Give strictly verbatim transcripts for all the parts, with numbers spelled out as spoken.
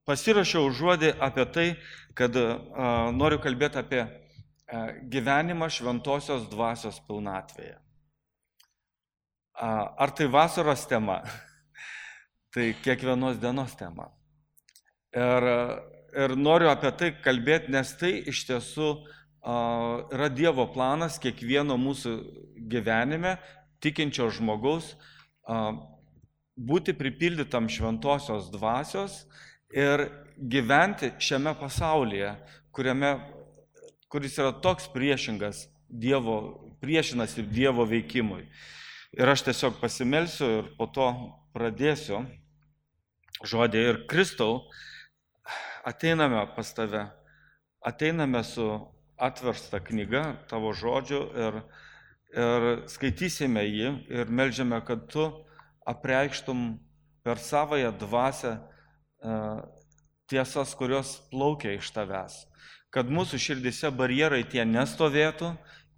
pasirašiau žodį apie tai, kad a, noriu kalbėti apie a, gyvenimą šventosios dvasios pilnatvėje. A, ar tai vasaros tema? Tai kiekvienos dienos tema. Ir, ir noriu apie tai kalbėti, nes tai iš tiesų a, yra Dievo planas kiekvieno mūsų gyvenime, tikinčio žmogaus, a, būti pripildytam šventosios dvasios ir gyventi šiame pasaulyje, kuriame, kuris yra toks priešingas Dievo, priešinasi Dievo veikimui. Ir aš tiesiog pasimelsiu ir po to pradėsiu žodį. Ir Kristau, ateiname pas tave, ateiname su atversta knyga tavo žodžių ir, ir skaitysime jį ir melžiame, kad tu apreikštum per savąją dvasią tiesas, kurios plaukia iš tavęs. Kad mūsų širdise barjerai tie nestovėtų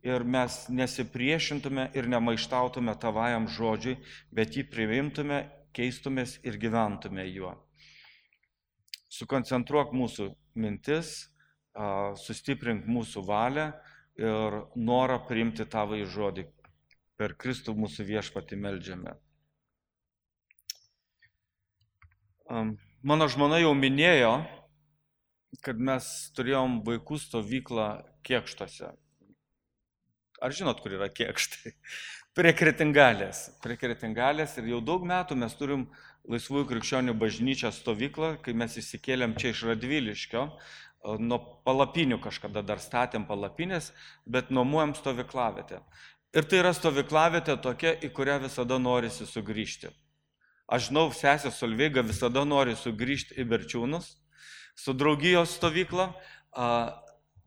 ir mes nesipriešintume ir nemaištautume tavajam žodžiui, bet jį priimtume, keistumės ir gyventume juo. Sukoncentruok mūsų mintis, sustiprink mūsų valią ir norą priimti tavąjį žodį. Per Kristų mūsų viešpatį meldžiame. Mano žmona jau minėjo, kad mes turėjom vaikų stovyklą Kėkštuose. Ar žinot, kur yra Kėkštai? Prie Kretingalės. Prie Kretingalės ir jau daug metų mes turim Laisvųjų krikščionių bažnyčią stovyklą, kai mes įsikėlėm čia iš Radviliškio. Nuo palapinių kažkada dar statėm palapinės, bet nuomojam stovyklavietę. Ir tai yra stovyklavietė tokia, į kurią visada norisi sugrįžti. Aš žinau, sesė Solveiga visada nori sugrįžti į Berčiūnus su draugijos stovykla.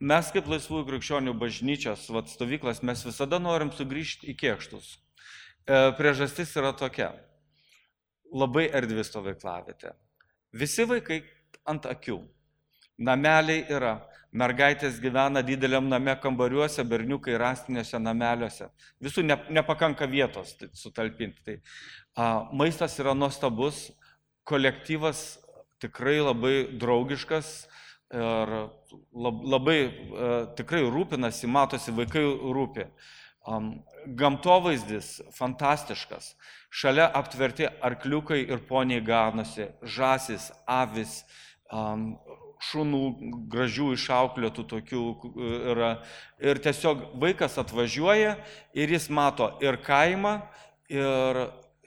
Mes kaip Laisvųjų krikščionių bažnyčios vat, stovyklas, mes visada norim sugrįžti į Kėkštus. Priežastis yra tokia. Labai erdvi stovyklavietė. Visi vaikai ant akių. Nameliai yra. Mergaitės gyvena dideliam name kambariuose, berniukai rąstiniuose nameliuose. Visų ne, nepakanka vietos sutalpinti. Tai, a, maistas yra nuostabus, kolektyvas tikrai labai draugiškas ir lab, labai a, tikrai rūpinasi, matosi, vaikai rūpi. A, gamtovaizdis fantastiškas. Šalia aptverti arkliukai ir poniai ganosi, žąsis, avis, a, šunų gražių išauklėtų tokių yra. Ir tiesiog vaikas atvažiuoja ir jis mato ir kaimą, ir,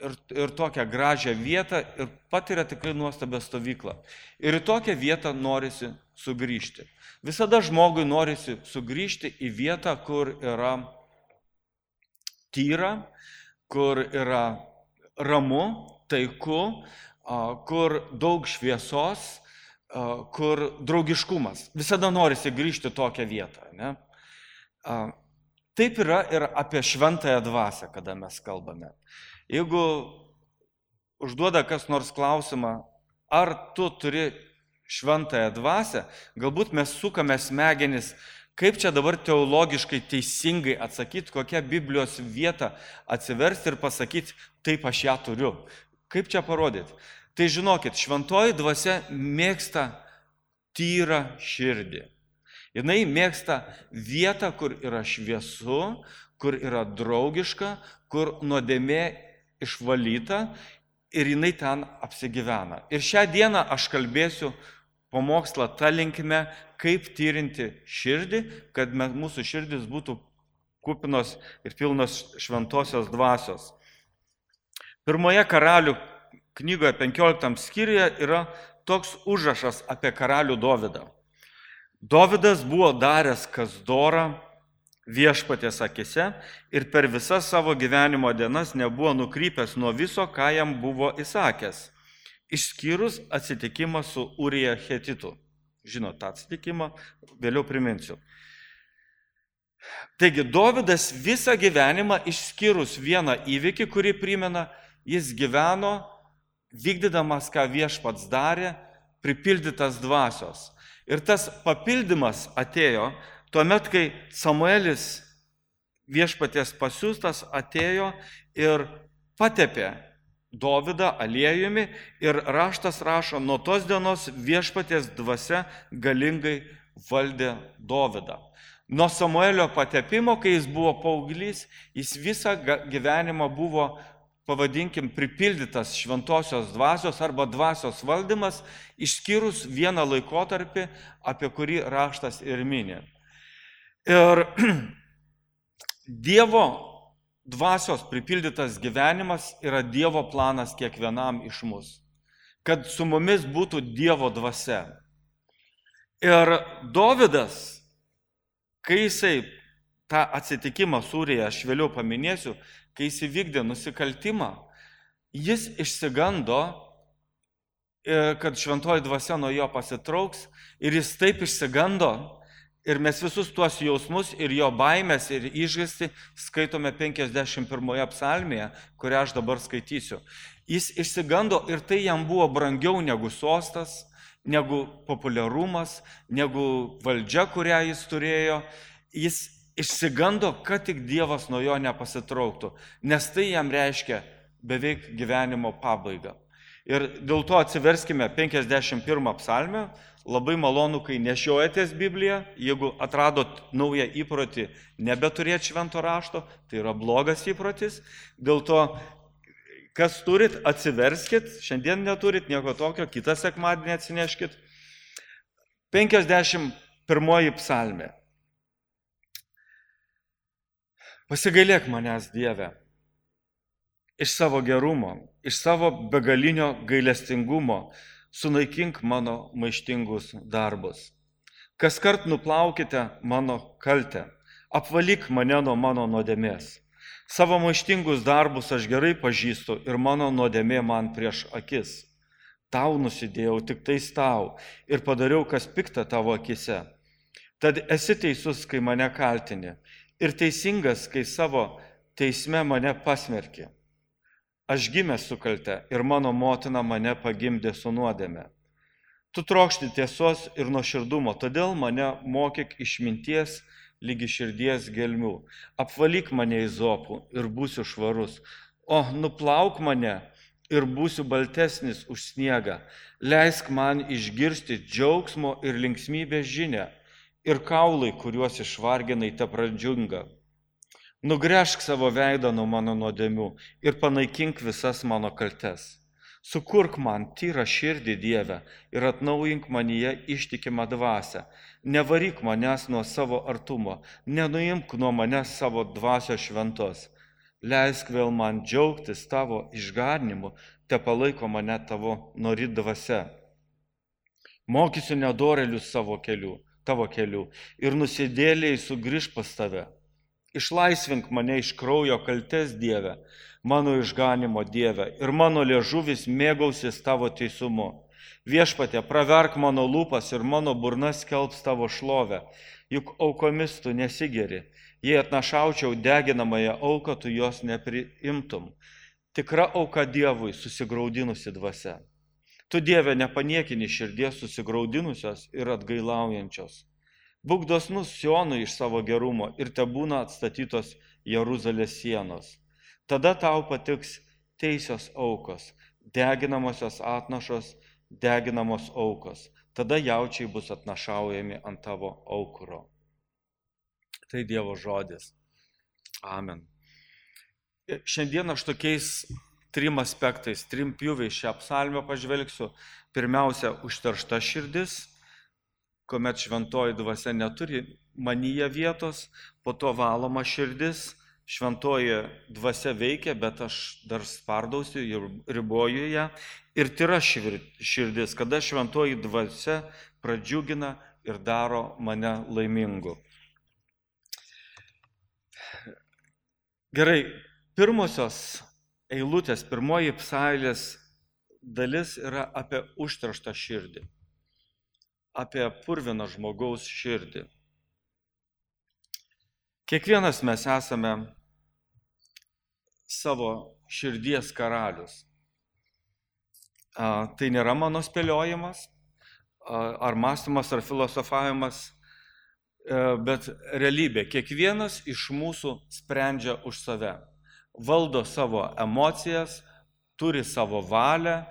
ir, ir tokią gražią vietą ir patiria tikrai nuostabią stovyklą. Ir į tokią vietą norisi sugrįžti. Visada žmogui norisi sugrįžti į vietą, kur yra tyra, kur yra ramu, taiku, kur daug šviesos, kur draugiškumas. Visada norisi grįžti tokią vietą. Ne? Taip yra ir apie šventąją dvasią, kada mes kalbame. Jeigu užduoda kas nors klausimą, ar tu turi šventąją dvasią, galbūt mes sukame smegenis, kaip čia dabar teologiškai teisingai atsakyti, kokią Biblijos vietą atsiversti ir pasakyti, taip aš ją turiu. Kaip čia parodyti? Tai žinokit, šventoji dvasia mėgsta tyrą širdį. Jinai mėgsta vietą, kur yra šviesu, kur yra draugiška, kur nuodėmė išvalyta ir jinai ten apsigyvena. Ir šią dieną aš kalbėsiu pamokslą tą linkme, kaip tyrinti širdį, kad mūsų širdis būtų kupinos ir pilnos šventosios dvasios. Pirmoje Karalių knygoje penkioliktam skyriuje yra toks užrašas apie karalių Dovydą. Dovydas buvo daręs kas dora viešpaties akise ir per visas savo gyvenimo dienas nebuvo nukrypęs nuo viso, ką jam buvo įsakęs, išskyrus atsitikimą su Urija Hetitu. Žinot tą atsitikimą, vėliau priminsiu. Taigi, Dovydas visą gyvenimą išskyrus vieną įvykį, kurį primena, jis gyveno vykdydamas, ką viešpats darė, pripildytas dvasios. Ir tas papildymas atėjo tuomet, kai Samuelis viešpaties pasiųstas atėjo ir patepė Dovydą aliejumi ir raštas rašo, nuo tos dienos viešpaties dvasia galingai valdė Dovydą. Nuo Samuelio patepimo, kai jis buvo paauglys, jis visą gyvenimą buvo, pavadinkim, pripildytas šventosios dvasios arba dvasios valdymas, išskyrus vieną laikotarpį, apie kurį raštas ir mini. Ir Dievo dvasios pripildytas gyvenimas yra Dievo planas kiekvienam iš mūsų, kad su mumis būtų Dievo dvasia. Ir Dovydas, kai jisai tą atsitikimą Sūryje, aš vėliau paminėsiu, kai jis įvykdė nusikaltimą, jis išsigando, kad šventoji dvasia nuo jo pasitrauks ir jis taip išsigando ir mes visus tuos jausmus ir jo baimės ir išgąstį skaitome penkiasdešimt pirmoje psalmėje, kurią aš dabar skaitysiu. Jis išsigando ir tai jam buvo brangiau negu sostas, negu populiarumas, negu valdžia, kurią jis turėjo. Jis išsigando, kad tik Dievas nuo jo nepasitrauktų, nes tai jam reiškia beveik gyvenimo pabaigą. Ir dėl to atsiverskime penkiasdešimt pirmą psalmę. Labai malonu, kai nešiojatės Bibliją, jeigu atradot naują įprotį nebeturėti švento rašto, tai yra blogas įprotis. Dėl to, kas turit, atsiverskit, šiandien neturit nieko tokio, kitą sekmadienį atsineškit. penkiasdešimt pirmoji psalmė. Pasigailėk manęs, Dieve, iš savo gerumo, iš savo begalinio gailestingumo, sunaikink mano maištingus darbus. Kaskart nuplaukite mano kaltę, apvalyk mane nuo mano nuodėmės. Savo maištingus darbus aš gerai pažįstu ir mano nuodėmė man prieš akis. Tau nusidėjau tik tais tau ir padariau, kas pikta tavo akise. Tad esi teisus, kai mane kaltini, ir teisingas, kai savo teisme mane pasmerki. Aš gimęs su kalte ir mano motina mane pagimdė su nuodėme. Tu trokšti tiesos ir nuoširdumo, todėl mane mokyk išminties lygi širdies gelmių. Apvalyk mane izopų ir būsiu švarus. O nuplauk mane ir būsiu baltesnis už sniegą. Leisk man išgirsti džiaugsmo ir linksmybės žinią ir kaulai, kuriuos išvarginai, te pradžiunga. Nugręžk savo veidą nuo mano nuodėmių ir panaikink visas mano kaltes. Sukurk man tyrą širdį, Dieve, ir atnaujink manyje ištikimą dvasią. Nevaryk manęs nuo savo artumo, nenuimk nuo manęs savo dvasios šventos. Leisk vėl man džiaugtis tavo išganimu, te palaiko mane tavo nori dvasia. Mokysiu nedorelius savo kelių, tavo kelių ir nusidėliai sugrįž pas tave. Išlaisvink mane iš kraujo kaltes, Dieve, mano išganimo Dieve, ir mano liežuvis mėgausis tavo teisumu. Viešpatie, praverk mano lūpas ir mano burna skelbs tavo šlovę, juk aukomis tu nesigeri. Jei atnašaučiau deginamąją auką, tu jos nepriimtum. Tikra auka Dievui susigraudinusi dvasia. Tu, Dieve, nepaniekini širdies susigraudinusios ir atgailaujančios. Būk dosnus Sionui iš savo gerumo ir te būna atstatytos Jeruzalės sienos. Tada tau patiks teisios aukos, deginamosios atnašos, deginamos aukos. Tada jaučiai bus atnašaujami ant tavo aukuro. Tai Dievo žodis. Amen. Šiandien aš tokiais trim aspektais, trim pjūviais šią psalmę pažvelgsiu. Pirmiausia, užteršta širdis, kuomet šventoji dvasia neturi manyje vietos, po to valoma širdis, šventoji dvasia veikia, bet aš dar spardausiu ir riboju ją. Ir tyra širdis, kada šventoji dvasia pradžiugina ir daro mane laimingu. Gerai, pirmosios eilutės, pirmoji psalmės dalis yra apie užterštą širdį, apie purviną žmogaus širdį. Kiekvienas mes esame savo širdies karalius. A, tai nėra mano spėliojimas, a, ar mąstymas, ar filosofavimas, a, bet realybė. Kiekvienas iš mūsų sprendžia už save, valdo savo emocijas, turi savo valią,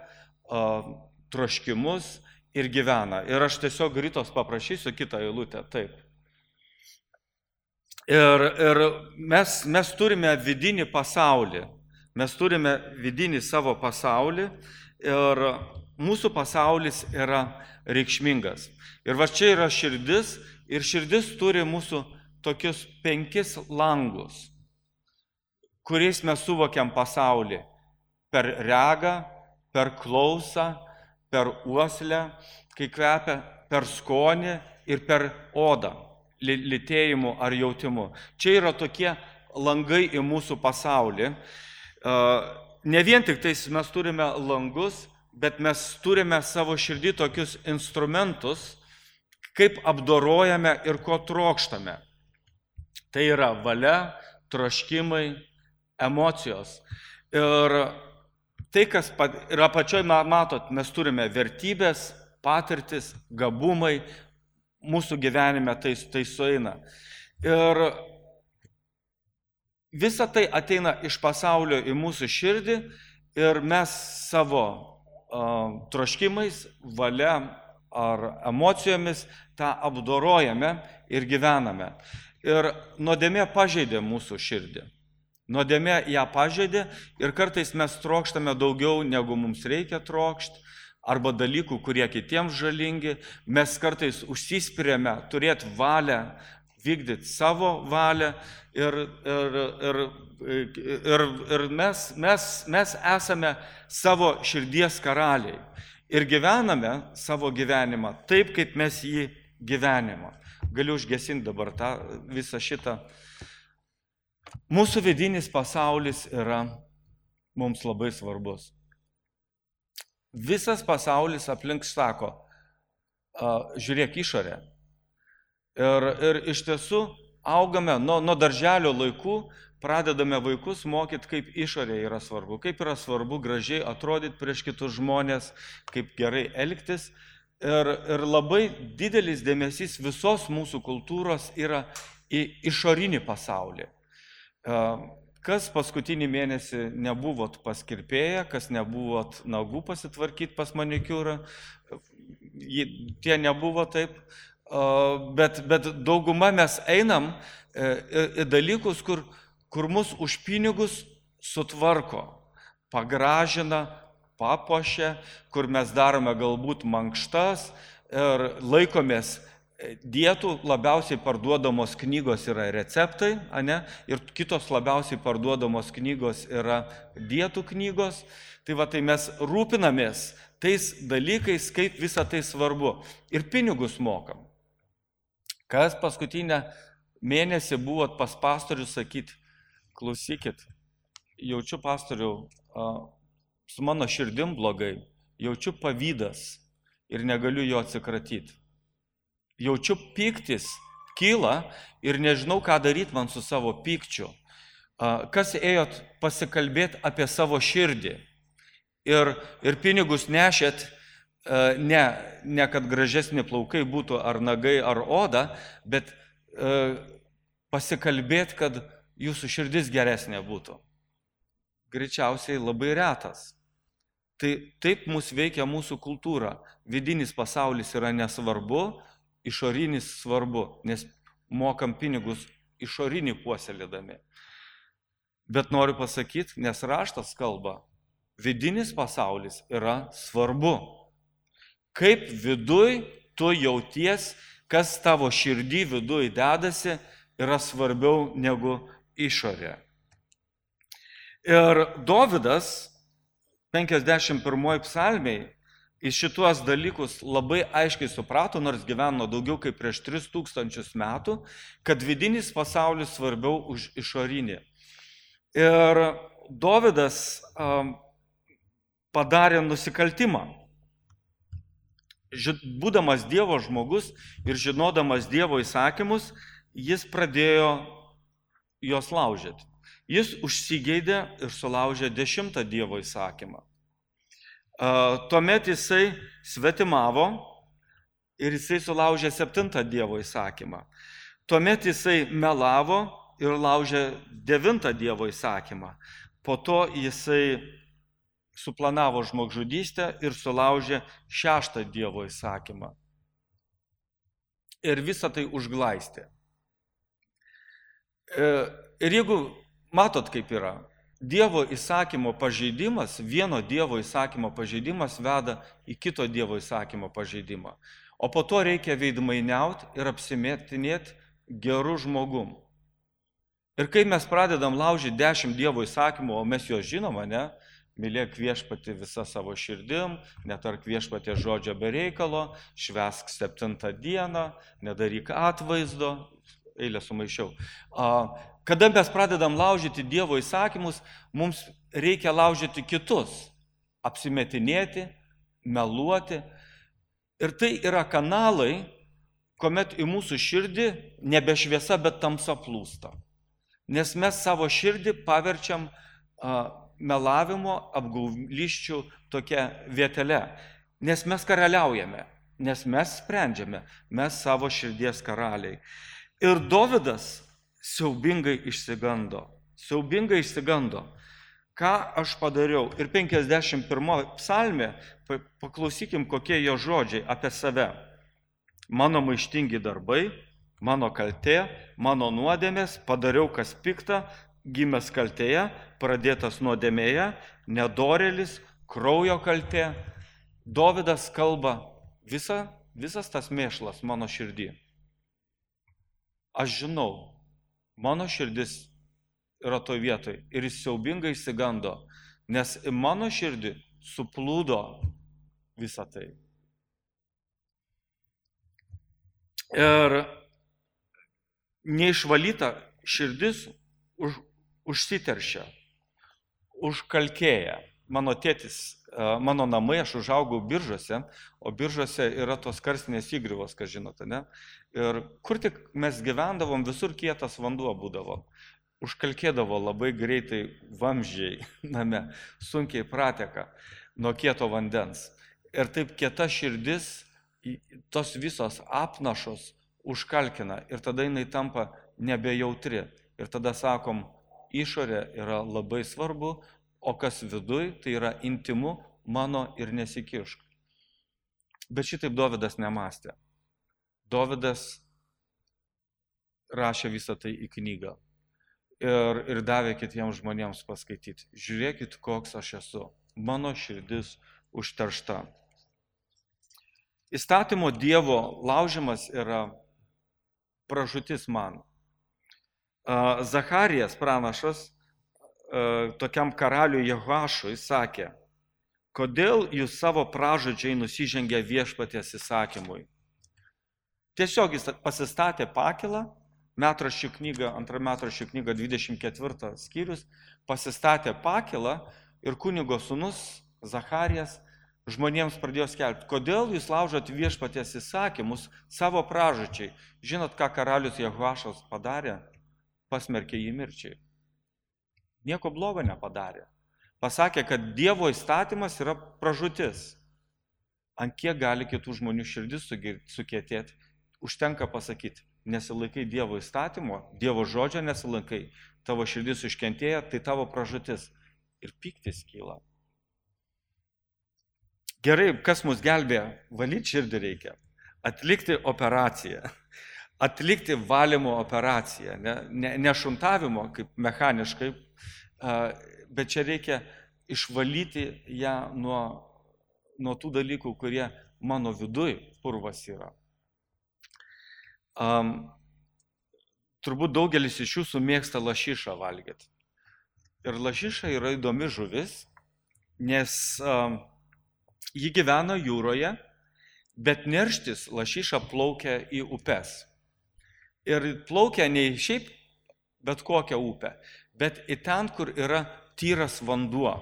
troškimus ir gyvena. Ir aš tiesiog Ritos paprašysiu kitą eilutę. Taip. Ir, ir mes, mes turime vidinį pasaulį. Mes turime vidinį savo pasaulį ir mūsų pasaulis yra reikšmingas. Ir va čia yra širdis ir širdis turi mūsų tokius penkis langus, kuriais mes suvokiam pasaulį. Per regą, per klausą, per uoslę, kai kvepia, per skonį ir per odą, lytėjimu ar jautimu. Čia yra tokie langai į mūsų pasaulį. Ne vien tik tais mes turime langus, bet mes turime savo širdį tokius instrumentus, kaip apdorojame ir ko trokštame. Tai yra valia, troškimai, emocijos. Ir tai, kas yra pačioj, matot, mes turime vertybės, patirtis, gabumai, mūsų gyvenime tai, tai sueina. Ir visa tai ateina iš pasaulio į mūsų širdį ir mes savo uh, troškimais, valia ar emocijomis tą apdorojame ir gyvename. Ir nuodėmė pažeidė mūsų širdį. Nuodėmė ją pažeidė ir kartais mes trokštame daugiau, negu mums reikia trokšti, arba dalykų, kurie kitiems žalingi. Mes kartais užsispiriame turėti valią, vykdyti savo valią ir, ir, ir, ir, ir mes, mes, mes esame savo širdies karaliai ir gyvename savo gyvenimą taip, kaip mes jį gyvenimą. Galiu užgesinti dabar tą visą šitą. Mūsų vidinis pasaulis yra mums labai svarbus. Visas pasaulis aplink sako, žiūrėk išorę. Ir, ir iš tiesų augame nuo, nuo darželio laikų, pradedame vaikus mokyti, kaip išorė yra svarbu, kaip yra svarbu gražiai atrodyti prieš kitus žmonės, kaip gerai elgtis. Ir, ir labai didelis dėmesys visos mūsų kultūros yra į išorinį pasaulį. Kas paskutinį mėnesį nebuvot pas kirpėją, kas nebuvot nagų pasitvarkyti pas manikiūrą, tie nebuvo taip, bet, bet dauguma mes einam į dalykus, kur, kur mus už pinigus sutvarko, pagražina, papuošia, kur mes darome galbūt mankštas ir laikomės dietų. Labiausiai parduodamos knygos yra receptai, ane? Ir kitos labiausiai parduodamos knygos yra dietų knygos. Tai va, tai mes rūpinamės tais dalykais, kaip visa tai svarbu. Ir pinigus mokam. Kas paskutinę mėnesį buvot pas pastorių sakyti, klausykit, jaučiu pastoriau, su mano širdim blogai, jaučiu pavydas ir negaliu jo atsikratyti. Jaučiu pyktis, kyla ir nežinau, ką daryti man su savo pykčiu. Kas ėjot pasikalbėti apie savo širdį ir, ir pinigus nešėt, ne, ne kad gražesni plaukai būtų ar nagai ar oda, bet pasikalbėti, kad jūsų širdis geresnė būtų. Greičiausiai labai retas. Tai taip mus veikia mūsų kultūra. Vidinis pasaulis yra nesvarbu, išorinis svarbu, nes mokam pinigus išorinį puoselėdami. Bet noriu pasakyti, nes raštas kalba, vidinis pasaulis yra svarbu. Kaip viduj tu jauties, kas tavo širdį viduj dedasi, yra svarbiau negu išorė. Ir Dovydas penkiasdešimt pirmoj psalmėj į šituos dalykus labai aiškiai suprato, nors gyveno daugiau kaip prieš tris tūkstančius metų, kad vidinis pasaulis svarbiau už išorinį. Ir Dovydas um, padarė nusikaltimą. Būdamas Dievo žmogus ir žinodamas Dievo įsakymus, jis pradėjo juos laužyti. Jis užsigeidė ir sulaužė dešimtą Dievo įsakymą. Tuomet jisai svetimavo ir jisai sulaužė septintą Dievo įsakymą. Tuomet jisai melavo ir laužė devintą Dievo įsakymą. Po to jisai suplanavo žmogžudystę ir sulaužė šeštą Dievo įsakymą. Ir visą tai užglaistė. Ir jeigu matot, kaip yra, Dievo įsakymo pažeidimas, vieno Dievo įsakymo pažeidimas veda į kito Dievo įsakymo pažeidimą. O po to reikia veidmainiauti ir apsimetinėti gerų žmogum. Ir kai mes pradedam laužyti dešimt Dievo įsakymų, o mes juos žinoma, ne? Mylėk viešpatį visą savo širdim, netark viešpatė žodžio be reikalo, švęsk septintą dieną, nedaryk atvaizdo, eilę sumaišiau. Kada mes pradedam laužyti Dievo įsakymus, mums reikia laužyti kitus, apsimetinėti, meluoti. Ir tai yra kanalai, kuomet į mūsų širdį nebe šviesa, bet tamsa plūsta. Nes mes savo širdį paverčiam a, melavimo, apgauliščių tokia vietele. Nes mes karaliaujame, nes mes sprendžiame, mes savo širdies karaliai. Ir Dovydas siaubingai išsigando. Siaubingai išsigando. Ką aš padariau? Ir penkiasdešimt pirmoje psalmė, paklausykim, kokie jo žodžiai apie save. Mano maištingi darbai, mano kaltė, mano nuodėmės, padariau kas pikta, gimęs kaltėje, pradėtas nuodėmėje, nedorėlis, kraujo kaltė. Dovydas kalba, visa, visas tas mėšlas mano širdį. Aš žinau, mano širdis yra toj vietoj ir jis siaubingai išsigando, nes į mano širdį suplūdo visą tai. Ir neišvalyta širdis už, užsiteršia, užkalkėja. Mano tėtis, mano namai, aš užaugau Biržuose, o Biržuose yra tos karstinės įgriuvos, ką žinote, ne? Ir kur tik mes gyvendavom, visur kietas vanduo būdavo. Užkalkėdavo labai greitai vamzdžiai name, sunkiai prateka nuo kieto vandens. Ir taip kieta širdis, tos visos apnašos užkalkina ir tada jinai tampa nebejautri. Ir tada sakom, išorė yra labai svarbu, o kas viduj, tai yra intimu, mano ir nesikišk. Bet šitaip Dovydas nemastė. Dovydas rašė visą tai į knygą ir, ir davė kitiems žmonėms paskaityti. Žiūrėkit, koks aš esu. Mano širdis užteršta. Įstatymo Dievo laužimas yra pražūtis man. Zacharijas pranašas tokiam karaliui Jehoašui sakė, kodėl jūs savo pražūdžiai nusižengia viešpaties įsakymui. Tiesiog jis pasistatė pakilą, metraščių knyga, antra metraščių knyga dvidešimt ketvirtas skyrius, pasistatė pakilą ir kunigo sūnus Zacharijas žmonėms pradėjo skelbti, kodėl jūs laužot viešpaties įsakymus savo pražūdžiai. Žinot, ką karalius Jehoašas padarė? Pasmerkė jį mirčiai. Nieko blogo nepadarė. Pasakė, kad Dievo įstatymas yra pražūtis. Ant kiek gali kitų žmonių širdis sukietėti, užtenka pasakyti, nesilaikai Dievo įstatymo, Dievo žodžio nesilaikai, tavo širdis užkentėja, tai tavo pražūtis. Ir pyktis kyla. Gerai, kas mus gelbėja? Valyti širdį reikia. Atlikti operaciją. Atlikti valymo operaciją. Ne, ne, ne šuntavimo, kaip mechaniškai, bet čia reikia išvalyti ją nuo, nuo tų dalykų, kurie mano viduj purvas yra. Um, turbūt daugelis iš jūsų mėgsta lašišą valgyti. Ir lašiša yra įdomi žuvis, nes um, ji gyvena jūroje, bet nerštis lašiša plaukia į upes. Ir plaukia ne šiaip bet kokią upę, bet į ten, kur yra tyras vanduo.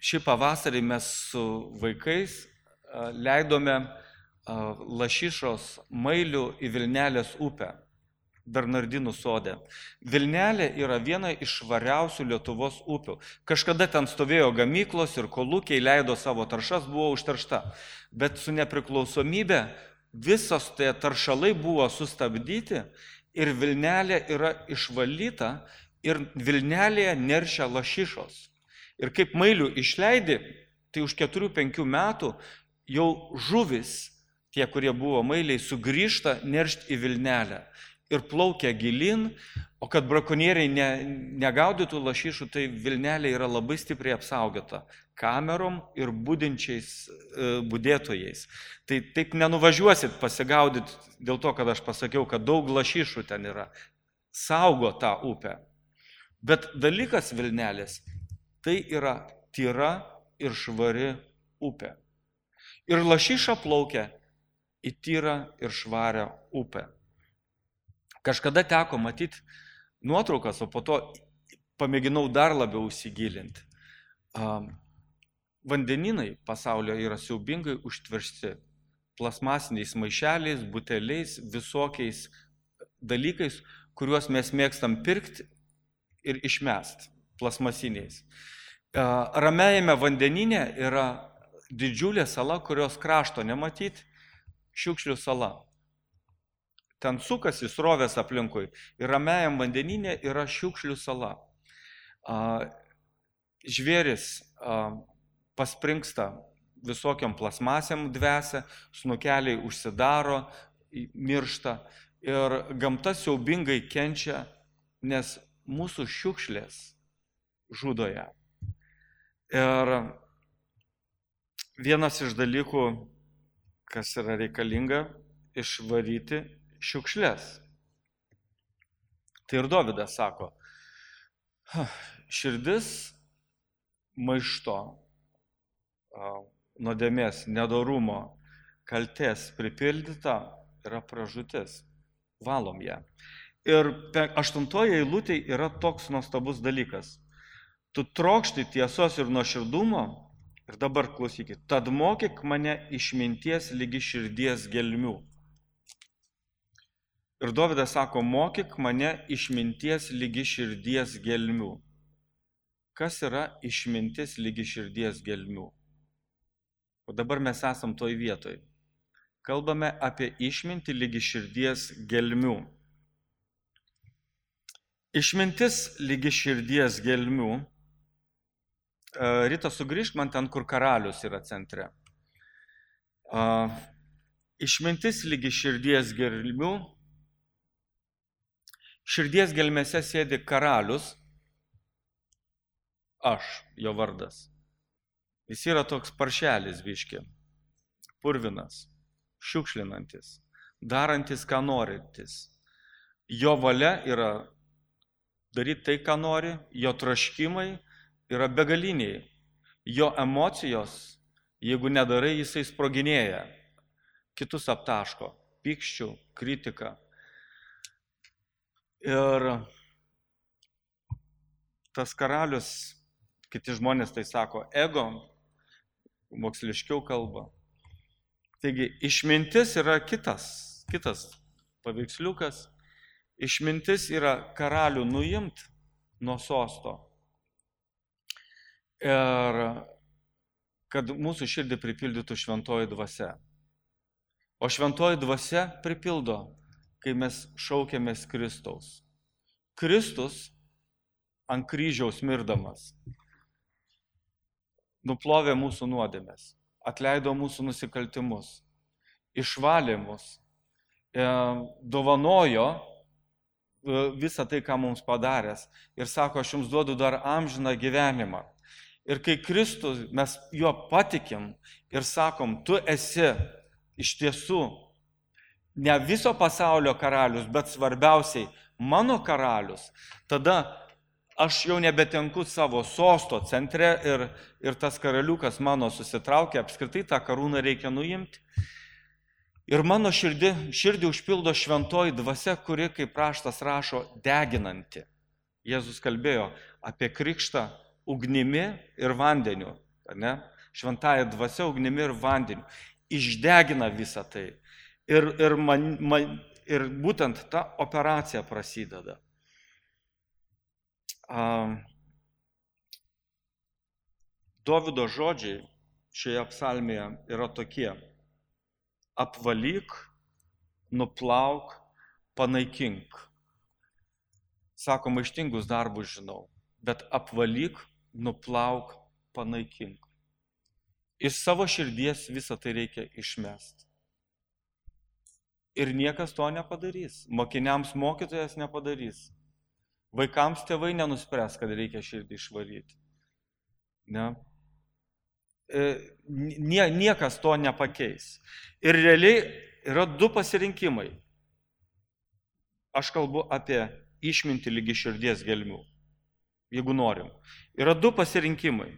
Šį pavasarį mes su vaikais leidome lašišos mailių į Vilnelės upę, Bernardinų sode. Vilnelė yra viena iš švariausių Lietuvos upių. Kažkada ten stovėjo gamyklos ir kolūkiai leido savo taršas, buvo užteršta. Bet su nepriklausomybė visos tie taršalai buvo sustabdyti ir Vilnelė yra išvalyta ir Vilnelėje neršia lašišos. Ir kaip mailių išleidi, tai už keturių penkių metų jau žuvis, tie, kurie buvo mailiai, sugrįžta neršti į Vilnelę ir plaukia gilin, o kad brakonieriai ne, negaudytų lašišų, tai Vilnelė yra labai stipriai apsaugota kamerom ir budinčiais e, budėtojais. Tai taip nenuvažiuosit pasigaudyti dėl to, kad aš pasakiau, kad daug lašišų ten yra. Saugo tą upę. Bet dalykas Vilnelės, tai yra tyra ir švari upė. Ir lašiša plaukia į tyrą ir švarę upę. Kažkada teko matyti nuotraukas, o po to pamėginau dar labiau įsigilinti. Vandeninai pasaulio yra siaubingai užtversti plasmasiniais maišeliais, buteliais, visokiais dalykais, kuriuos mes mėgstam pirkti ir išmesti plasmasiniais. Ramiajame vandenyne yra didžiulė sala, kurios krašto nematyti, Šiukšlių sala. Ten sukasi srovės aplinkui ir ramiajam vandenyne yra Šiukšlių sala. Žvėris paspringsta visokiam plasmasiam dvesia, snukeliai užsidaro, miršta ir gamta siaubingai kenčia, nes mūsų šiukšlės žudo ją. Ir vienas iš dalykų, kas yra reikalinga, išvaryti šiukšlės. Tai ir Dovydas sako, širdis maišto, nuodėmės, nedorumo, kaltės pripildyta yra pražūtis. Valom ją. Ir aštuntoje eilutėje yra toks nuostabus dalykas. Tu trokšti tiesos ir nuoširdumo, ir dabar klausykit, tad mokyk mane išminties lygi širdies gelmių. Ir Dovydas sako, mokyk mane išminties lygi širdies gelmių. Kas yra išmintis lygi širdies gelmių? O dabar mes esam toj vietoj. Kalbame apie išmintį lygi širdies gelmių. Išmintis lygi širdies gelmių. Rita, sugrįžk man ten, kur karalius yra centre. Išmintis lygi širdies gelmių. Širdies gelmėse sėdi karalius, aš, jo vardas. Jis yra toks paršelis biški, purvinas, šiukšlinantis, darantis, ką norintis. Jo valia yra daryti tai, ką nori, jo troškimai yra begaliniai. Jo emocijos, jeigu nedarai, jisai sproginėja, kitus aptaško, pykščių, kritika. Ir tas karalius, kiti žmonės tai sako, ego, moksliškiau kalba. Taigi, išmintis yra kitas, kitas paveiksliukas. Išmintis yra karalių nuimt nuo sosto. Ir kad mūsų širdį pripildytų šventoji dvasia. O šventoji dvasia pripildo, kai mes šaukiamės Kristaus. Kristus ant kryžiaus mirdamas nuplovė mūsų nuodėmes, atleido mūsų nusikaltimus, išvalė mus, dovanojo visą tai, ką mums padaręs. Ir sako, aš jums duodu dar amžiną gyvenimą. Ir kai Kristus, mes juo patikim ir sakom, tu esi iš tiesų ne viso pasaulio karalius, bet svarbiausiai mano karalius, tada aš jau nebetenku savo sosto centre ir, ir tas karaliukas mano susitraukia, apskritai tą karūną reikia nuimti. Ir mano širdį, širdį užpildo šventoji dvasia, kuri, kaip raštas rašo, deginanti. Jėzus kalbėjo apie krikštą ugnimi ir vandeniu. Ne? Šventąja dvasia ugnimi ir vandeniu. Išdegina visą tai. Ir, ir, man, man, ir būtent ta operacija prasideda. A, Dovydo žodžiai šioje psalmėje yra tokie. Apvalyk, nuplauk, panaikink. Sako, maištingus darbus žinau, bet apvalyk, nuplauk, panaikink. Iš savo širdies visą tai reikia išmesti. Ir niekas to nepadarys. Mokiniams mokytojas nepadarys. Vaikams tėvai nenuspręs, kad reikia širdį išvaryti. Ne? Nie, niekas to nepakeis. Ir realiai yra du pasirinkimai. Aš kalbu apie išmintį lygi širdies gelmių, jeigu norim. Yra du pasirinkimai.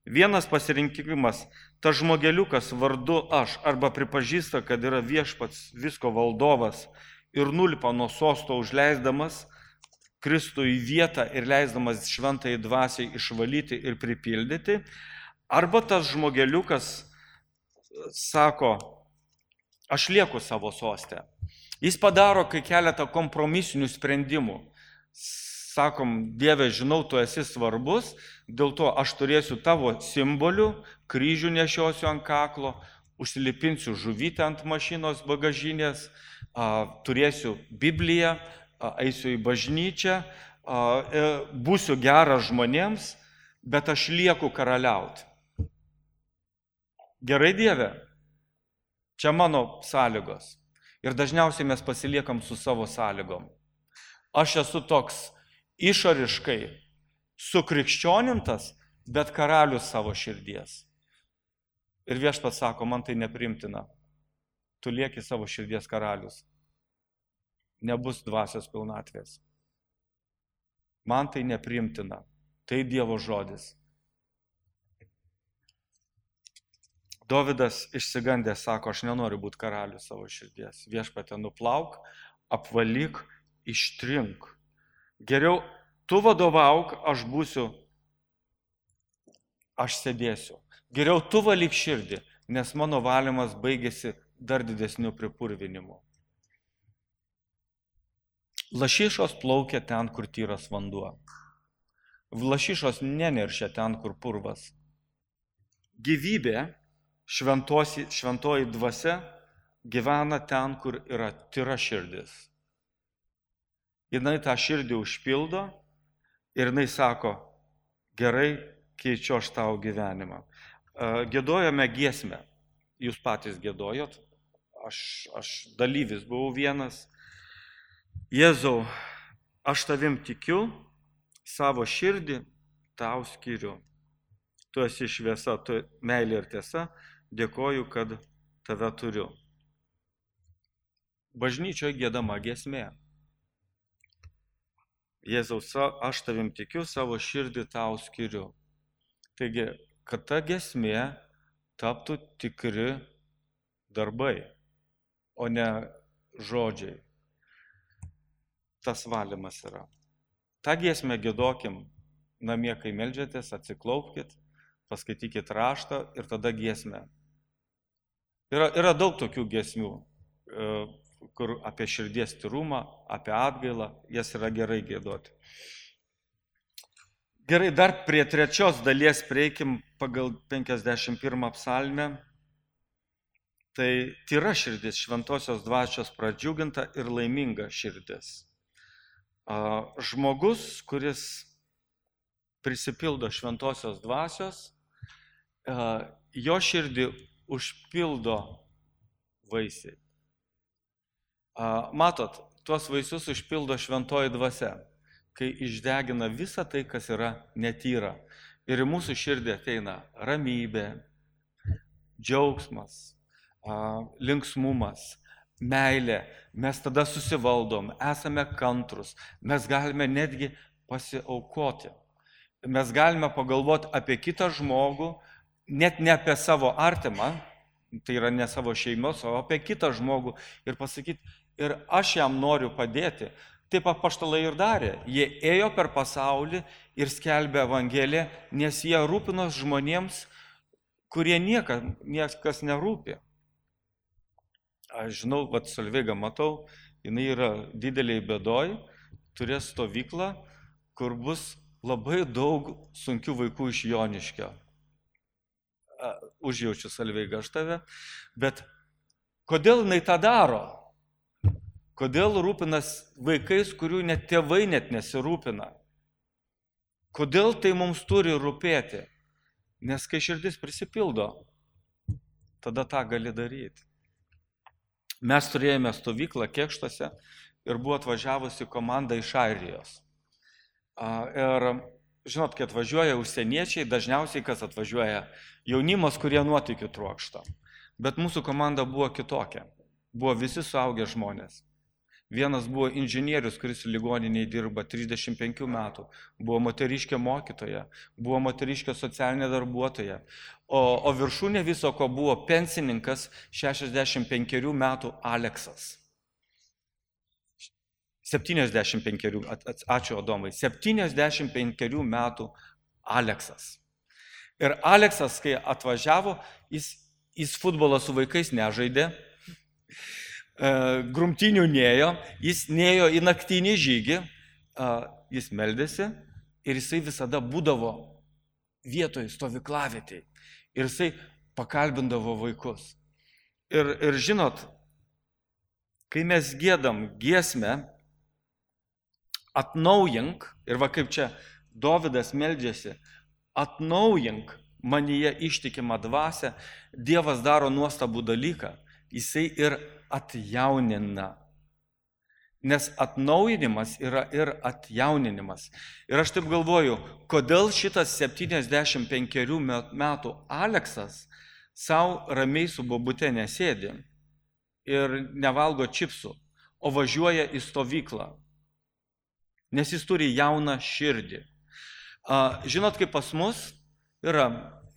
Vienas pasirinkimas, tas žmogeliukas vardu aš arba pripažįsta, kad yra viešpats visko valdovas ir nulipa nuo sosto užleisdamas Kristų į vietą ir leisdamas šventai dvasiai išvalyti ir pripildyti. Arba tas žmogeliukas sako, aš lieku savo soste. Jis padaro kai keletą kompromisinių sprendimų. Sakom, Dieve, žinau, tu esi svarbus, dėl to aš turėsiu tavo simbolių, kryžių nešiosiu ant kaklo, užsilipinsiu žuvytę ant mašinos bagažinės, turėsiu Bibliją, eisiu į bažnyčią, būsiu geras žmonėms, bet aš lieku karaliauti. Gerai, Dieve, čia mano sąlygos. Ir dažniausiai mes pasiliekam su savo sąlygom. Aš esu toks išoriškai sukrikščionintas, bet karalius savo širdies. Ir viešpats sako, man tai neprimtina. Tu lieki savo širdies karalius. Nebus dvasios pilnatvės. Man tai neprimtina. Tai Dievo žodis. Dovydas išsigandęs sako, aš nenoriu būti karalius savo širdies. Viešpatie, nuplauk, apvalyk, ištrink. Geriau tu vadovauk, aš būsiu, aš sėdėsiu. Geriau tu valyk širdį, nes mano valymas baigėsi dar didesniu pripurvinimu. Lašišos plaukia ten, kur tyras vanduo. Lašišos neneršia ten, kur purvas. Gyvybė, šventosi, šventoji dvasia, gyvena ten, kur yra tyra širdis. Jinai tą širdį užpildo ir jinai sako, gerai, keičiu aš tau gyvenimą. Giedojame giesmę. Jūs patys giedojot. Aš, aš dalyvis buvau vienas. Jėzau, aš tavim tikiu, savo širdį tau skiriu. Tu esi šviesa, tu meilė ir tiesa, dėkoju, kad tave turiu. Bažnyčioje giedama giesmė. Jėzau, aš tavim tikiu, savo širdį tau skiriu. Taigi, kad ta giesmė taptų tikri darbai, o ne žodžiai. Tas valymas yra. Ta giesmę giedokim namie, kai meldžiatės, atsiklaupkit, paskaitykit raštą ir tada giesmę. Yra, yra daug tokių giesmių, kur apie širdies tyrumą, apie atgailą, jas yra gerai giedoti. Gerai, dar prie trečios dalies prieikim pagal penkiasdešimt pirmą psalmę. Tai tyra širdis, šventosios dvasios pradžiuginta ir laiminga širdis. Žmogus, kuris prisipildo šventosios dvasios, jo širdį užpildo vaisiai. Matot, tuos vaisius užpildo šventoji dvasia, kai išdegina visą tai, kas yra netyra. Ir į mūsų širdį ateina ramybė, džiaugsmas, linksmumas, meilė. Mes tada susivaldom, esame kantrus, mes galime netgi pasiaukoti. Mes galime pagalvoti apie kitą žmogų, net ne apie savo artimą, tai yra ne savo šeimos, o apie kitą žmogų ir pasakyti, ir aš jam noriu padėti. Taip apaštalai ir darė. Jie ėjo per pasaulį ir skelbė Evangeliją, nes jie rūpinos žmonėms, kurie niekas, niekas nerūpi. Aš žinau, vat Solveigą matau, jinai yra dideliai bėdoj, turės stovyklą, kur bus labai daug sunkių vaikų iš Joniškio. Užjaučiu, Solveiga, aš tave. Bet kodėl jinai tą daro? Kodėl rūpinas vaikais, kurių net tėvai net nesirūpina? Kodėl tai mums turi rūpėti? Nes kai širdis prisipildo, tada tą gali daryti. Mes turėjome stovyklą Kėkštuose ir buvo atvažiavusi komanda iš Airijos. Ir žinot, kai atvažiuoja užsieniečiai, dažniausiai kas atvažiuoja jaunimas, kurie nuotykių trokšta. Bet mūsų komanda buvo kitokia. Buvo visi suaugę žmonės. Vienas buvo inžinierius, kuris ligoniniai dirba trisdešimt penkių metų. Buvo moteriškė mokytoja, buvo moteriškė socialinė darbuotoja. O, o viršūnė viso ko buvo pensininkas šešiasdešimt penkerių metų Aleksas. septyniasdešimt penkerių, ačiū Adomai, septyniasdešimt penkerių metų Aleksas. Ir Aleksas, kai atvažiavo, jis, jis futbolą su vaikais nežaidė, grumtinių nėjo, jis nėjo į naktinį žygį, jis meldėsi ir jisai visada būdavo vietoje stovyklavietėje. Ir jisai pakalbindavo vaikus. Ir, ir žinot, kai mes giedam giesmę, atnaujink, ir va kaip čia Dovydas meldžiasi, atnaujink manyje ištikimą dvasią, Dievas daro nuostabų dalyką, jisai ir atjaunina. Nes atnaujinimas yra ir atjauninimas. Ir aš taip galvoju, kodėl šitas septyniasdešimt penkerių metų Aleksas savo ramiai su bobute nesėdi ir nevalgo čipsų, o važiuoja į stovyklą. Nes jis turi jauną širdį. Žinot, kaip pas mus yra,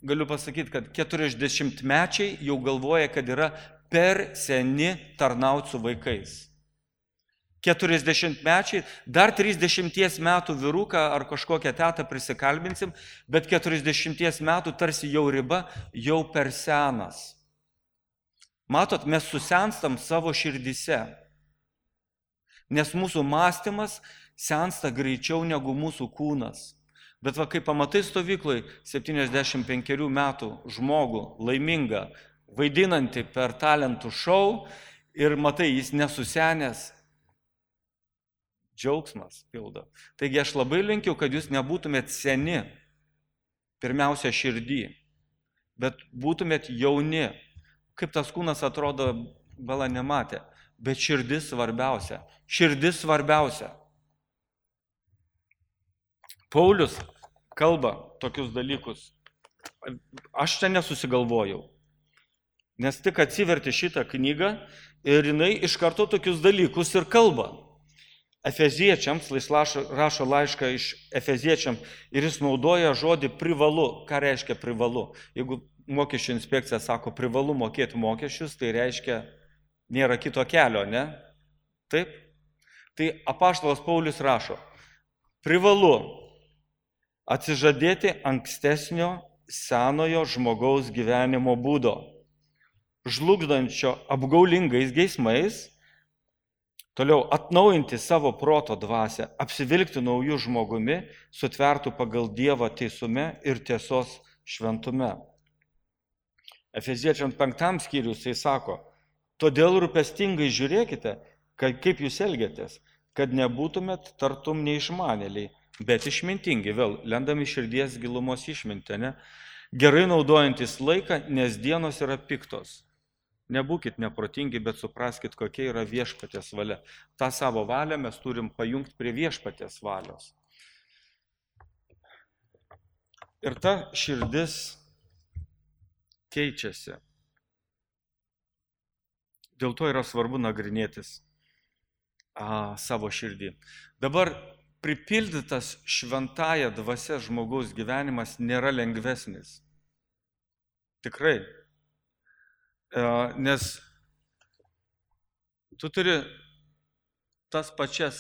galiu pasakyti, kad keturiasdešimtmečiai jau galvoja, kad yra per seni tarnauti su vaikais. keturiasdešimtmečiai, dar trisdešimties metų vyruką ar kažkokią tetą prisikalbinsim, bet keturiasdešimties metų tarsi jau riba, jau per senas. Matot, mes susenstam savo širdyse, nes mūsų mąstymas sensta greičiau negu mūsų kūnas. Bet va, kai pamatai stovyklai septyniasdešimt penkerių metų žmogų, laimingą, vaidinantį per talentų šou ir matai, jis nesusenęs, džiaugsmas pildo. Taigi aš labai linkiu, kad jūs nebūtumėt seni, pirmiausia širdį, bet būtumėt jauni. Kaip tas kūnas atrodo, bala nematė, bet širdis svarbiausia. Širdis svarbiausia. Paulius kalba tokius dalykus. Aš čia nesusigalvojau. Nes tik atsiverti šitą knygą ir jinai iš karto tokius dalykus ir kalba. Efeziečiams, jis rašo laišką iš Efeziečiam ir jis naudoja žodį privalu. Ką reiškia privalu? Jeigu mokesčių inspekcija sako privalu mokėti mokesčius, tai reiškia nėra kito kelio, ne? Taip? Tai apaštalas Paulius rašo, privalu atsižadėti ankstesnio senojo žmogaus gyvenimo būdo, žlugdančio apgaulingais geismais, toliau atnaujinti savo proto dvasią, apsivilkti naujų žmogumi, sutvertų pagal Dievą teisume ir tiesos šventume. Efeziečiams penktam skyrius jis sako, todėl rūpestingai žiūrėkite, kaip jūs elgiatės, kad nebūtumėt tartum neišmanėliai, bet išmintingi, vėl lendami širdies gilumos išmintę, ne? Gerai naudojantis laiką, nes dienos yra piktos. Nebūkit neprotingi, bet supraskit, kokia yra viešpaties valia. Ta savo valią mes turim pajungti prie viešpaties valios. Ir ta širdis keičiasi. Dėl to yra svarbu nagrinėtis a, savo širdį. Dabar pripildytas šventąja dvasia žmogaus gyvenimas nėra lengvesnis. Tikrai. Nes tu turi tas pačias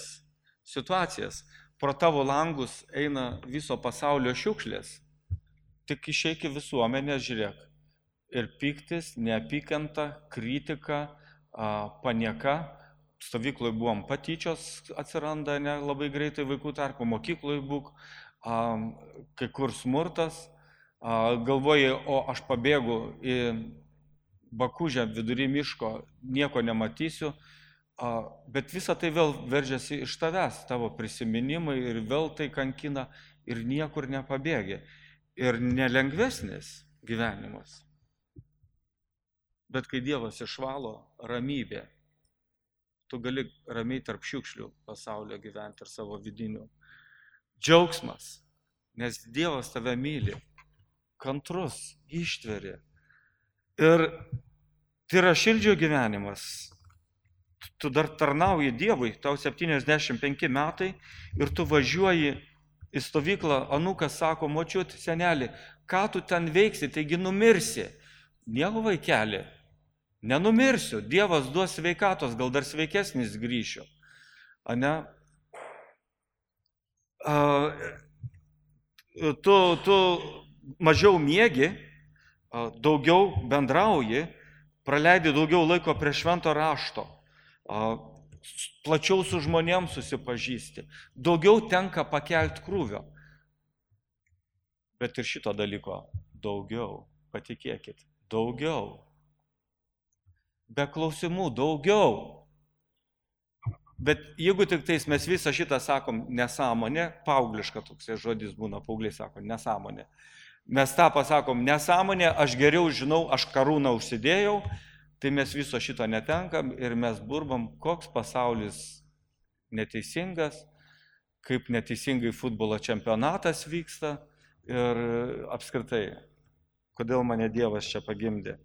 situacijas. Pro tavo langus eina viso pasaulio šiukšlės. Tik išeik į visuomenę, žiūrėk. Ir piktis, neapykanta, kritika, panieka. Stovykloje buvom patyčios atsiranda ne, labai greitai vaikų tarpo, mokykloje būk, kai kur smurtas. Galvoji, o aš pabėgu į Bakužę vidury miško, nieko nematysiu, bet visa tai vėl veržiasi iš tavęs, tavo prisiminimai ir vėl tai kankina ir niekur nepabėgi. Ir nelengvesnis gyvenimas. Bet kai Dievas išvalo, ramybė. Tu gali ramiai tarp šiukšlių pasaulio gyventi ir savo vidinių. Džiaugsmas, nes Dievas tave myli, kantrus, ištveri. Ir tai yra šildžio gyvenimas. Tu dar tarnauji Dievui, tau septyniasdešimt penki metai ir tu važiuoji į stovyklą, anūkas sako, močiut, senelį, ką tu ten veiksi, taigi numirsi. Nieko vaikeli, nenumirsiu, Dievas duos sveikatos, gal dar sveikesnis grįšiu. Ane? A, tu, tu mažiau miegi, a, daugiau bendrauji, praleidi daugiau laiko prie švento rašto, a, plačiau su žmonėms susipažįsti, daugiau tenka pakelti krūvio. Bet ir šito dalyko daugiau, patikėkit, daugiau. Be klausimų daugiau. Bet jeigu tik tais mes visą šitą sakom nesąmonė, paaugliška toks žodis būna, paaugliai sako nesąmonė. Mes tą pasakom nesąmonė, aš geriau žinau, aš karūną užsidėjau, tai mes viso šito netenkam ir mes burbam, koks pasaulis neteisingas, kaip neteisingai futbolo čempionatas vyksta ir apskritai, kodėl mane Dievas čia pagimdė.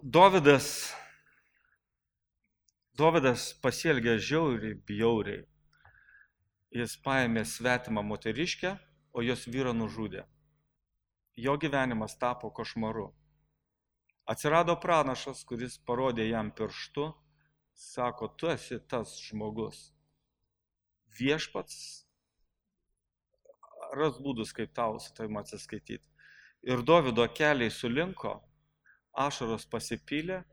Dovydas, Dovydas pasielgė žiauriai, bjauriai. Jis paėmė svetimą moteriškę, o jos vyrą nužudė. Jo gyvenimas tapo košmaru. Atsirado pranašas, kuris parodė jam pirštu, sako, tu esi tas žmogus. Viešpats ras būdus, kaip tau su tavim atsiskaityti. Ir Dovydo keliai sulinko, ašaros pasipylė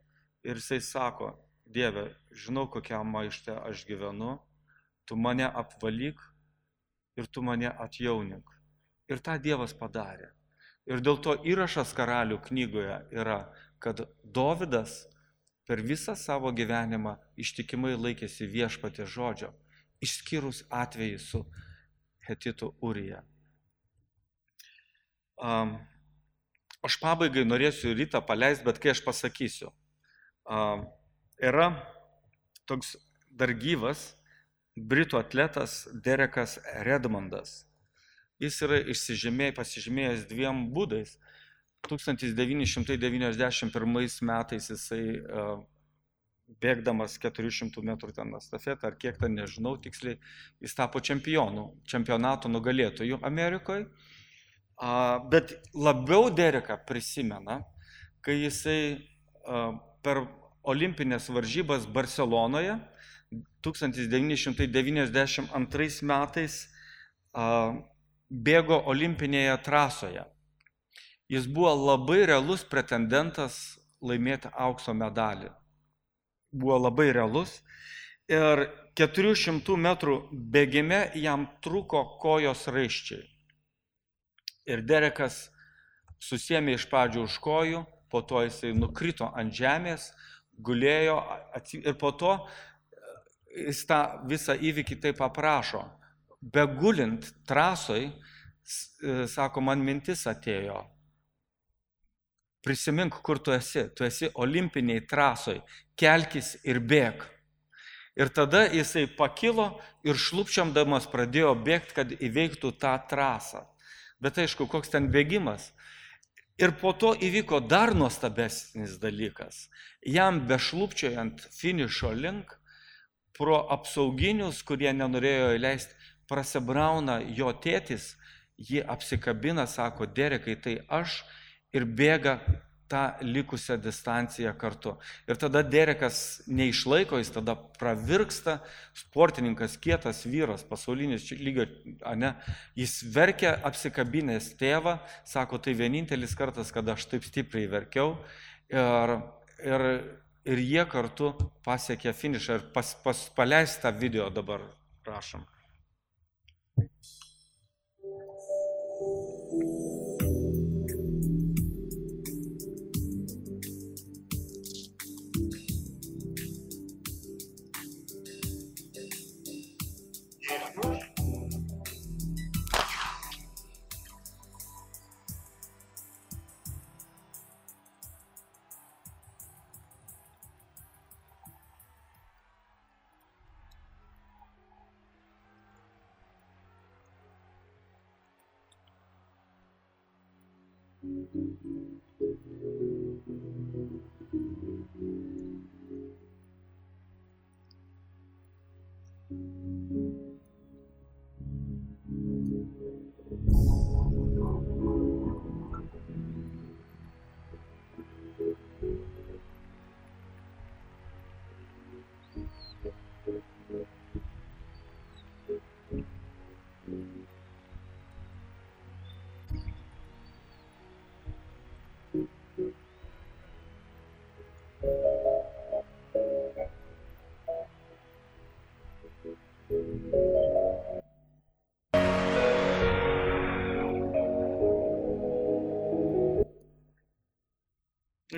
ir jisai sako, Dieve, žinau, kokią maištę aš gyvenu, tu mane apvalyk ir tu mane atjaunink. Ir tą Dievas padarė. Ir dėl to įrašas Karalių knygoje yra, kad Dovydas per visą savo gyvenimą ištikimai laikėsi Viešpaties žodžio, išskyrus atvejį su Hetitu Urija. Um, aš pabaigai norėsiu rytą paleisti, bet kai aš pasakysiu. Um, yra toks dar gyvas britų atletas Derekas Redmondas. Jis yra išsižymėjęs, pasižymėjęs dviem būdais. tūkstantis devyni šimtai devyniasdešimt pirmais metais jisai uh, bėgdamas keturių šimtų metrų ten estafetą, ar kiek ten nežinau tiksliai, jis tapo čempionu, čempionato nugalėtojų Amerikoje. Uh, bet labiau Dereką prisimena, kai jisai uh, per olimpinės varžybas Barcelonoje tūkstantis devyni šimtai devyniasdešimt antrais metais uh, bėgo olimpinėje trasoje. Jis buvo labai realus pretendentas laimėti aukso medalį. Buvo labai realus. Ir keturių šimtų metrų bėgime jam trūko kojos raiščiai. Ir Derekas susiėmė iš pradžių už kojų, po to jisai nukrito ant žemės, gulėjo ir po to jis tą visą įvykį taip aprašo. Begulint trasoj, sako, man mintis atėjo. Prisimink, kur tu esi. Tu esi olimpiniai trasoj. Kelkis ir bėg. Ir tada jisai pakilo ir šlupčiamdamas pradėjo bėgti, kad įveiktų tą trasą. Bet aišku, koks ten bėgimas. Ir po to įvyko dar nuostabesnis dalykas. Jam bešlupčiojant finišo link, pro apsauginius, kurie nenorėjo įleisti, prasibrauna jo tėtis, jį apsikabina, sako, Derekai, tai aš, ir bėga tą likusią distanciją kartu. Ir tada Derekas neišlaiko, jis tada pravirksta, sportininkas, kietas vyras, pasaulinis lygio, ane, jis verkia apsikabinęs tėvą, sako, tai vienintelis kartas, kada aš taip stipriai verkiau. Ir, ir, ir jie kartu pasiekė finišą ir pas, pas, paleis tą video dabar, prašom.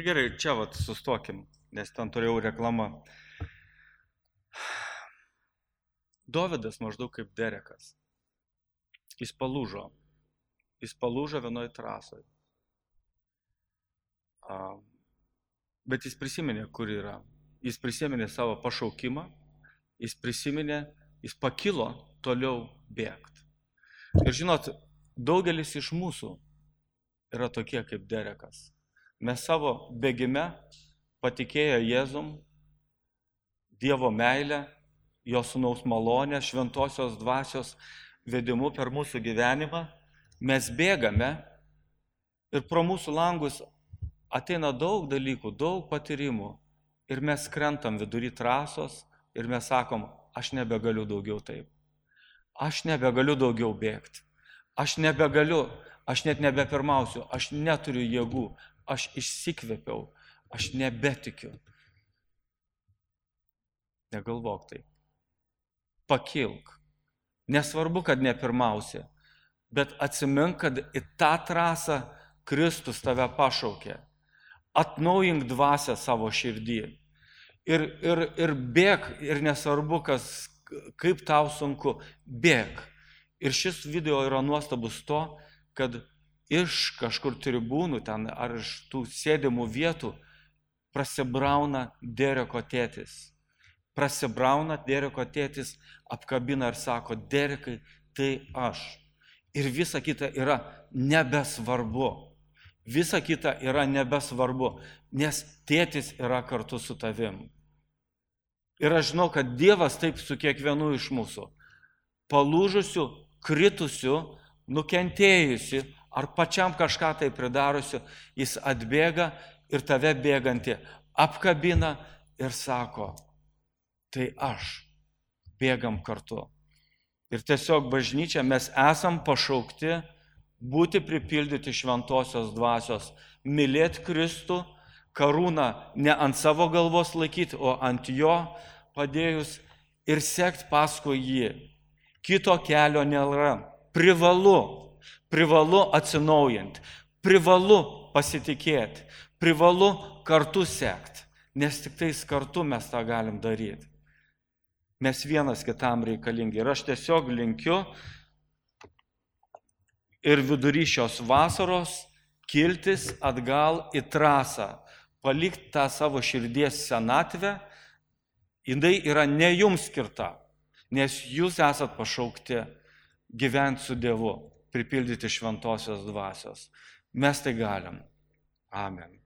Gerai, čia vat sustokim, nes ten turėjau reklamą. Dovydas maždaug kaip Derekas. Jis palūžo. Jis palūžo vienoj trasoj. Bet jis prisiminė, kur yra. Jis prisiminė savo pašaukimą. Jis prisiminė, jis pakilo toliau bėgti. Ir žinot, daugelis iš mūsų yra tokie kaip Derekas. Mes savo bėgime patikėję Jėzum, Dievo meilę, jo sūnaus malonę, šventosios dvasios vedimu per mūsų gyvenimą, mes bėgame ir pro mūsų langus ateina daug dalykų, daug patyrimų ir mes krentam vidury trasos ir mes sakom, aš nebegaliu daugiau taip, aš nebegaliu daugiau bėgti, aš nebegaliu, aš net nebepirmausiu, aš neturiu jėgų, aš išsikvėpiau, aš nebetikiu. Negalvok taip. Pakilk. Nesvarbu, kad nepirmausi, bet atsimink, kad į tą trasą Kristus tave pašaukė. Atnaujink dvasią savo širdį. Ir, ir, ir bėk, ir nesvarbu, kas, kaip tau sunku, bėk. Ir šis video yra nuostabus to, kad iš kažkur tribūnų ten ar iš tų sėdimų vietų prasibrauna Dereko tėtis. Prasibrauna Dereko tėtis, apkabina ir sako, Derekai, tai aš. Ir visa kita yra nebesvarbu. Visa kita yra nebesvarbu, nes tėtis yra kartu su tavim. Ir aš žinau, kad Dievas taip su kiekvienu iš mūsų. Palūžusiu, kritusiu, nukentėjusi, ar pačiam kažką tai pridarusiu, jis atbėga ir tave bėgantį apkabina ir sako, tai aš, bėgam kartu. Ir tiesiog bažnyčia mes esam pašaukti būti pripildyti šventosios dvasios, mylėti Kristų, karūną ne ant savo galvos laikyti, o ant jo padėjus ir sekti paskui jį. Kito kelio nėra. Privalu, privalu atsinaujinti, privalu pasitikėti, privalu kartu sekti, nes tik tais kartu mes tą galim daryti. Mes vienas kitam reikalingi. Ir aš tiesiog linkiu ir vidury šios vasaros kiltis atgal į trasą, palikti tą savo širdies senatvę, jinai yra ne jums skirta, nes jūs esat pašaukti gyventi su Dievu, pripildyti šventosios dvasios. Mes tai galim. Amen.